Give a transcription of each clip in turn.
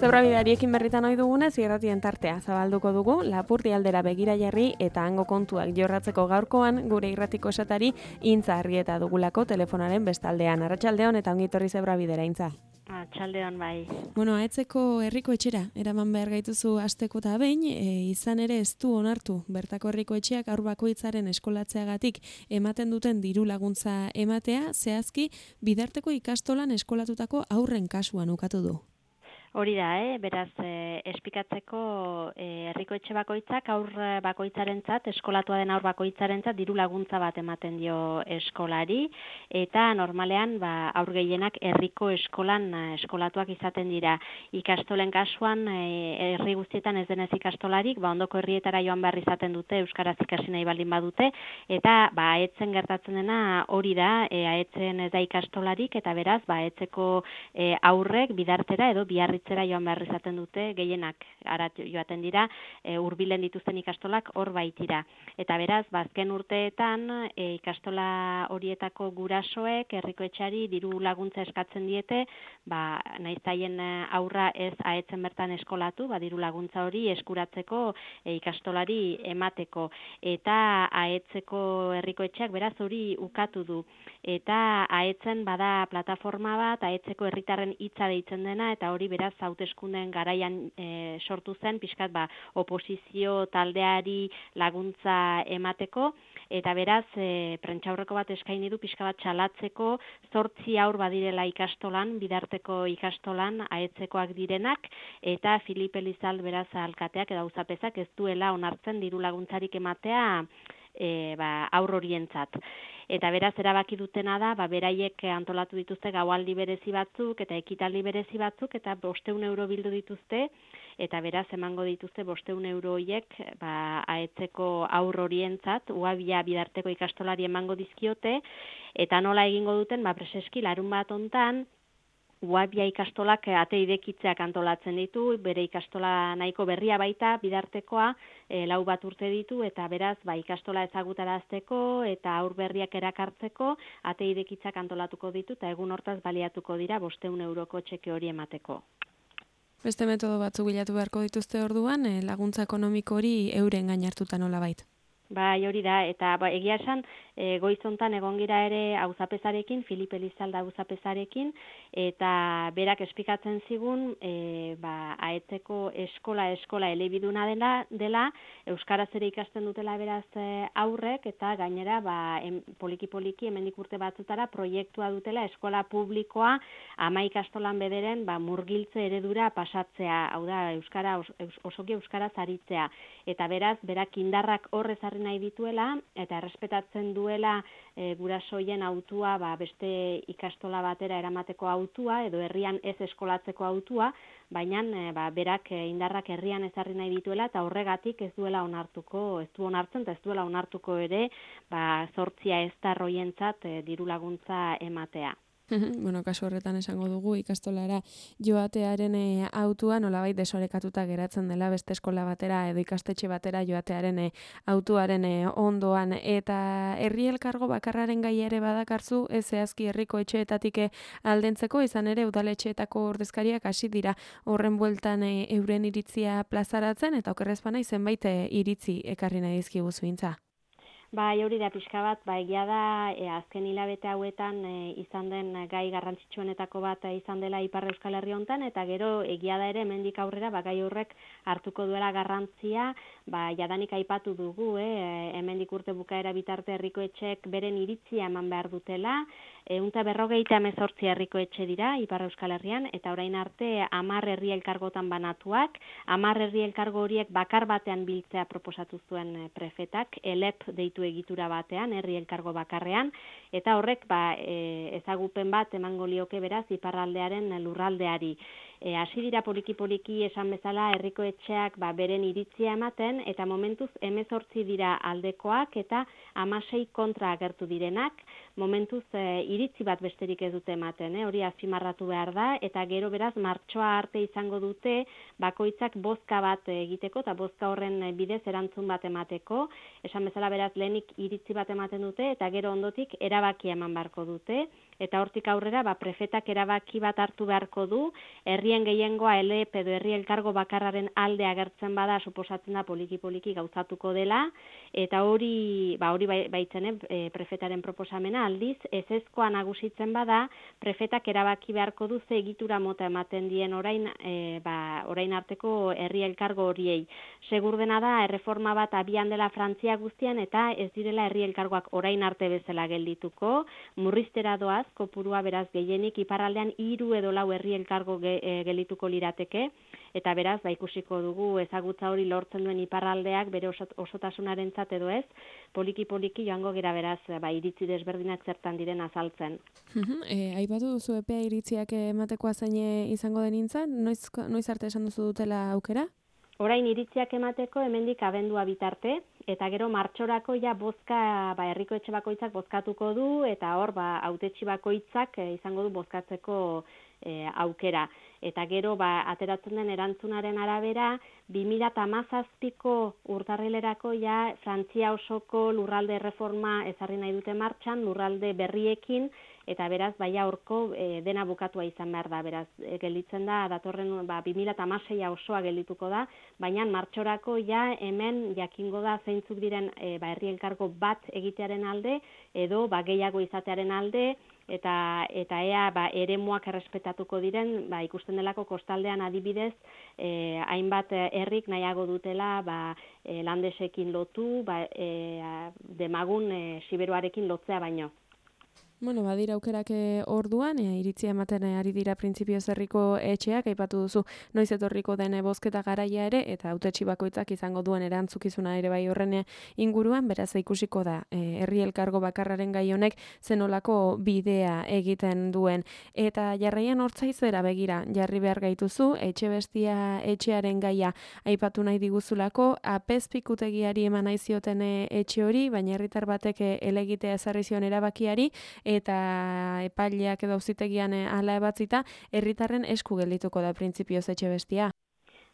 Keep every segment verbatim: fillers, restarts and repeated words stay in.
Zebrabideariekin berritan ohi dugunez, irratien tartea zabalduko dugu, Lapurdi aldera begira jarri eta hango kontuak jorratzeko gaurkoan gure irratiko esatari Intza Arrieta dugulako telefonaren bestaldean. Arratsaldeon eta ongi etorri Zebrabidera, Intza. Arratsaldeon bai. Bueno, aetzeko herriko etxera, eraman behar gaituzu asteko eta behin, e, izan ere ez du onartu bertako herriko etxeak haur bakoitzaren eskolatzeagatik ematen duten diru laguntza ematea, zehazki bidarteko ikastolan eskolatutako haurren kasuan ukatu du. Hori da, eh? beraz, eh, espikatzeko eh, herriko etxe bakoitzak aur bakoitzarentzat, eskolatua den aur bakoitzarentzat diru laguntza bat ematen dio eskolari, eta normalean ba, aur gehienak herriko eskolan eh, eskolatuak izaten dira. Ikastolen kasuan, eh, herri guztietan ez denez ikastolarik, ba, ondoko herrietara joan behar izaten dute, euskaraz ikasi nahi baldin badute, eta ba, aetzen gertatzen dena hori da, eh, aetzen ez da ikastolarik, eta beraz, ba, aetzeko eh, aurrek bidartera edo biarri zera joan behar izaten dute, gehienak arat joaten dira, e, hurbilen dituzten ikastolak hor baitira. Eta beraz, bazken urteetan e, ikastola horietako gurasoek herriko etxeari diru laguntza eskatzen diete, ba, nahizaien aurra ez aetzen bertan eskolatu, ba, diru laguntza hori eskuratzeko e, ikastolari emateko. Eta aetzeko herriko etxeak beraz hori ukatu du. Eta aetzen bada plataforma bat, aetzeko herritarren hitza deitzen dena, eta hori beraz hauteskundeen garaian e, sortu zen, pixkat ba, oposizio taldeari laguntza emateko, eta beraz e, prentsaurreko bat eskaini du pixka bat txalatzeko zortzi aur badirela ikastolan, bidarteko ikastolan aetzekoak direnak, eta Filip Elizalde beraz alkateak edo auzapezak ez duela onartzen diru laguntzarik ematea e, ba, aur horientzat. Eta beraz erabaki dutena da, ba, beraiek antolatu dituzte gaualdi berezi batzuk eta ekitaldi berezi batzuk eta bosteun euro bildu dituzte eta beraz emango dituzte bosteun euro horiek ba, aetzeko aur horientzat, uabia bidarteko ikastolari emango dizkiote eta nola egingo duten, ba, preseski larun bat hontan, Uabia ikastolak ate idekitzeak antolatzen ditu, bere ikastola nahiko berria baita, bidartekoa, e, lau bat urte ditu, eta beraz, ba, ikastola ezagutarazteko eta aur berriak erakartzeko, ate idekitzak antolatuko ditu, eta egun hortaz baliatuko dira bosteun euroko txeke hori emateko. Beste metodo batzuk bilatu beharko dituzte orduan, e, laguntza ekonomiko hori euren gain hartuta nolabait. Bai, hori da, eta ba, egia esan, e, goizontan egon gira ere auzapezarekin, Filip Elizalde auzapezarekin, eta berak espikatzen zigun, e, ba, aetzeko eskola, eskola elebiduna dela, dela, euskaraz ere ikasten dutela beraz e, aurrek, eta gainera, ba, em, poliki-poliki, hemendik urte batzutara, proiektua dutela eskola publikoa, ama ikastolan bederen, ba, murgiltze eredura pasatzea, hau da, euskara, os, osoki euskaraz aritzea, eta beraz, berak indarrak horrez nahi dituela eta errespetatzen duela e, gurasoien autua, ba, beste ikastola batera eramateko autua edo herrian ez eskolatzeko autua, baina e, ba, berak e, indarrak herrian ezarri nahi dituela eta horregatik ez duela onartuko, ez du onartzen eta ez duela onartuko ere, ba, zortzia ez da roientzat e, diru laguntza ematea. Bueno, kasu horretan esango dugu ikastolara joatearen e, autua nolabait desorekatuta geratzen dela beste eskola batera edo ikastetxe batera joatearen e, autuaren e, ondoan eta herri elkargo bakarraren gaia ere badakarzu ez zehazki herriko etxeetatik aldentzeko izan ere udaletxeetako ordezkariak hasi dira horren bueltan e, euren iritzia plazaratzen eta okerrez bana zenbait e, iritzi ekarri nahi dizkigu Intza. Bai, hori da pixka bat, ba, egia da, e, azken hilabete hauetan e, izan den gai garrantzitsuenetako bat e, izan dela Ipar Euskal Herri hontan, eta gero egia da ere hemendik aurrera, ba, gai horrek hartuko duela garrantzia, ba, jadanik aipatu dugu, eh, hemendik urte bukaera bitarte herriko etxek beren iritzia eman behar dutela, ehunta berrogeita hemezortzi herriko etxe dira Ipar Euskal Herrian, eta orain arte hamar herri elkargotan banatuak, hamar herri elkargo horiek bakar batean biltzea proposatu zuen e, prefetak, elep deitu egitura batean, herri elkargo bakarrean, eta horrek ba, e, ezagupen bat emango lioke beraz iparraldearen lurraldeari. E, hasi dira poliki-poliki esan bezala herriko etxeak ba, beren iritzia ematen, eta momentuz hemezortzi dira aldekoak eta hamasei kontra agertu direnak, momentuz e, iritzi bat besterik ez dute ematen, eh? Hori azpimarratu behar da, eta gero beraz martxoa arte izango dute bakoitzak bozka bat egiteko, eta bozka horren bidez erantzun bat emateko, esan bezala beraz lehenik iritzi bat ematen dute, eta gero ondotik erabaki eman beharko dute, eta hortik aurrera ba, prefetak erabaki bat hartu beharko du, herrien gehiengoa elep edo herri elkargo bakarraren alde agertzen bada, suposatzen da poliki-poliki gauzatuko dela, eta hori ba, hori baitzen e, prefetaren proposamena aldiz, ezezkoa nagusitzen bada, prefetak erabaki beharko du ze egitura mota ematen dien orain, e, ba, orain arteko herri elkargo horiei. Segur dena da, erreforma bat abian dela Frantzia guztian eta ez direla herri elkargoak orain arte bezala geldituko, murriztera doaz, kopurua beraz gehienik iparraldean hiru edo lau herri elkargo ge, e, geldituko lirateke, eta beraz, ba, ikusiko dugu ezagutza hori lortzen duen iparraldeak bere osotasunarentzat edo ez, poliki-poliki joango gera beraz, ba, iritzi desberdinak zertan diren azaltzen. E, aipatu duzu epea iritziak ematekoa zein izango denintzan, noiz, noiz arte esan duzu dutela aukera? Orain iritziak emateko hemendik abendua bitarte, eta gero martxorako ja bozka, ba, herriko etxe bakoitzak bozkatuko du, eta hor, ba, hautetsi bakoitzak e, izango du bozkatzeko e, aukera. Eta gero, ba, ateratzen den erantzunaren arabera, bi mila hamazazpiko urtarrilerako ja Frantzia osoko lurralde erreforma ezarri nahi dute martxan, lurralde berriekin, eta beraz, baia horko e, dena bukatua izan behar da, beraz, e, gelditzen da, datorren ba, bi mila hamaseia osoa geldituko da, baina martxorako ja hemen jakingo da zeintzuk diren e, ba, herri elkargo bat egitearen alde, edo ba, gehiago izatearen alde, eta eta ea ba, eremuak errespetatuko diren, ba, ikusten delako kostaldean adibidez, e, hainbat herrik nahiago dutela ba, e, landesekin lotu, ba, e, demagun e, siberuarekin lotzea baino. Bueno, badira aukerak orduan, e, iritzia ematen ari dira printzipioz herriko etxeak, aipatu duzu noiz etorriko den bozketa garaia ere, eta hautetsi bakoitzak izango duen erantzukizuna ere bai horren inguruan, beraz ikusiko da, e, herri elkargo bakarraren gai honek zenolako bidea egiten duen. Eta jarraian hortzaizera begira, jarri behar gaituzu, etxe bestia etxearen gaia aipatu nahi diguzulako, apezpikutegiari eman nahi zioten etxe hori, baina herritar batek elegitea ezarri zion erabakiari, eta epaileak edo auzitegian hala ebatzita, herritarren esku geldituko da printzipioz etxe bestia.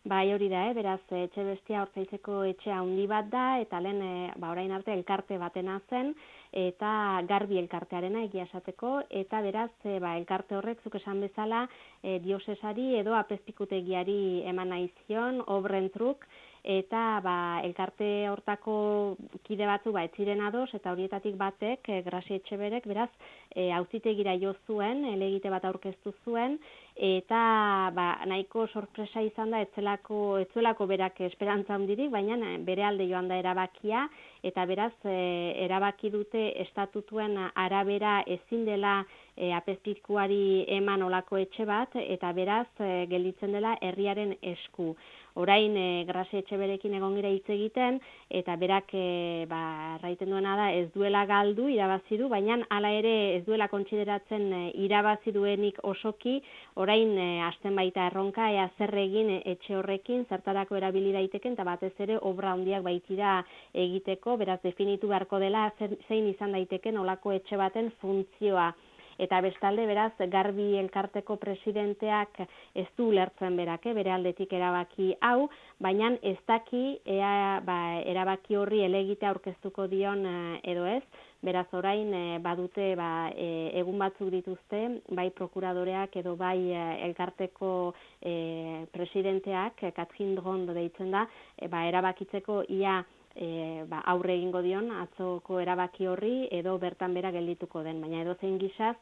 Bai, hori da, eh? Beraz, etxe bestia Hortzaitzeko etxe handi bat da, eta lehen, e, ba, orain arte elkarte batena zen, eta garbi elkartearena egia esateko, eta beraz, e, ba, elkarte horrek, zuk esan bezala, e, diosesari edo apezpikutegiari eman nahi zion, obren truk, eta ba, elkarte hortako kide batzu ba, etziren ados, eta horietatik batek, e, Grasi Etxeberek, beraz, e, auzitegira jo zuen, elegite bat aurkeztu zuen, eta ba, nahiko sorpresa izan da, etzelako, etzuelako berak esperantza handirik, baina bere alde joan da erabakia, eta beraz, e, erabaki dute estatutuen arabera ezin dela e, apezpikuari eman olako etxe bat, eta beraz, e, gelditzen dela herriaren esku. Orain e, Grasi Etxeberekin egon gira hitz egiten, eta berak e, ba, raiten duena da ez duela galdu, irabazi du, baina hala ere ez duela kontsideratzen e, irabazi duenik osoki, orain e, hasten baita erronka, ea zer egin etxe horrekin, zertarako erabili daiteken, eta batez ere obra handiak baitira egiteko, beraz definitu beharko dela zein izan daiteken olako etxe baten funtzioa. Eta bestalde, beraz, garbi elkarteko presidenteak ez du ulertzen berak, eh, bere aldetik erabaki hau, baina ez daki ea, ba, erabaki horri elegite aurkeztuko dion eh, edo ez, beraz orain eh, badute ba, eh, egun batzuk dituzte, bai prokuradoreak edo bai eh, elkarteko eh, presidenteak, eh, Katrin Drondo deitzen da, eh, ba, erabakitzeko ia E, ba, aurre egingo dion atzoko erabaki horri edo bertan bera geldituko den, baina edozein gisaz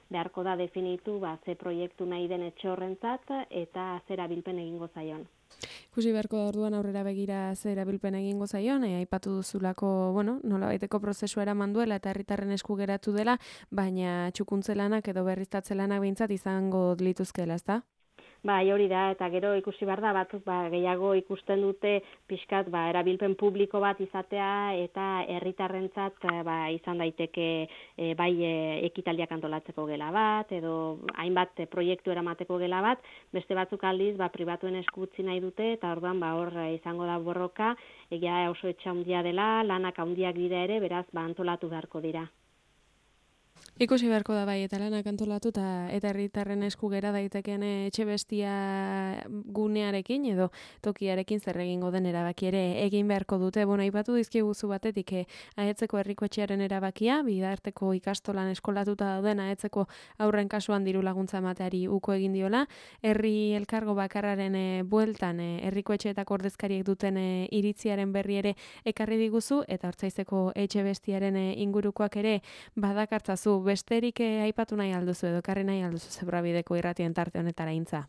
beharko da definitu ba, ze proiektu nahi den etxe horrentzat eta zer erabilpen egingo zaion. Ikusi beharko da orduan aurrera begira zer erabilpen egingo zaion, e, aipatu duzulako, bueno, nolabaiteko prozesua eraman duela eta herritarren esku geratu dela, baina txukuntzelanak edo berriztatzelanak behintzat izango lituzkeela, ezta? Bai, hori da, eta gero ikusi behar da, batzuk ba, gehiago ikusten dute pixkat ba, erabilpen publiko bat izatea eta herritarrentzat ba, izan daiteke e, bai e, ekitaldiak antolatzeko gela bat, edo hainbat e, proiektu eramateko gela bat, beste batzuk aldiz ba, pribatuen esku utzi nahi dute, eta orduan ba, hor izango da borroka, egia oso etxe handia dela, lanak handiak dira ere, beraz ba, antolatu beharko dira. Ikusi beharko da bai, eta lanak antolatu eta eta herritarren esku gera daiteken etxe bestia gunearekin edo tokiarekin zer egingo den erabaki ere egin beharko dute. Bueno, aipatu dizkiguzu batetik eh, ahetzeko herriko etxearen erabakia, bidarteko ikastolan eskolatuta dauden ahetzeko aurren kasuan diru laguntza emateari uko egin diola, herri elkargo bakarraren eh, bueltan eh, herriko etxeetako ordezkariek duten eh, iritziaren berri ere ekarri diguzu, eta Hortzaizeko etxe bestiaren eh, ingurukoak ere badakartzazu. Besterik eh, aipatu nahi alduzu edo karri nahi alduzu Zebrabideko irratien tarte honetara intza?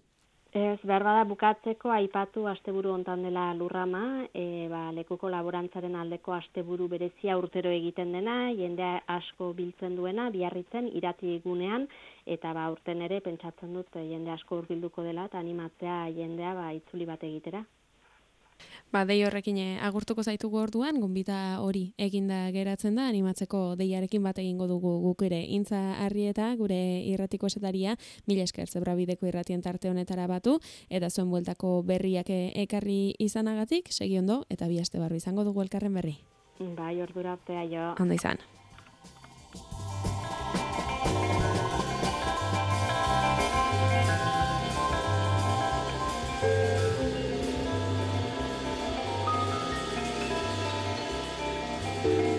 Ez, behar bada bukatzeko aipatu asteburu hontan dela lurrama, e, ba, lekuko laborantzaren aldeko asteburu berezia urtero egiten dena, jendea asko biltzen duena, Biarritzen, irati gunean, eta ba, urten ere pentsatzen dut jende asko hurbilduko dela, eta animatzea jendea ba, itzuli bat egitera. Ba, dei horrekin agurtuko zaitugu orduan, gonbita hori eginda geratzen da, animatzeko deiarekin bat egingo dugu guk ere. Intza Arrieta, gure irratiko esetaria, mila esker Zebrabideko irratien tarte honetara batu, eta zuen bueltako berriak ekarri izanagatik, segi ondo, eta bi aste barru izango dugu elkarren berri. Bai, ordura artea jo. Ondo izan. Thank you.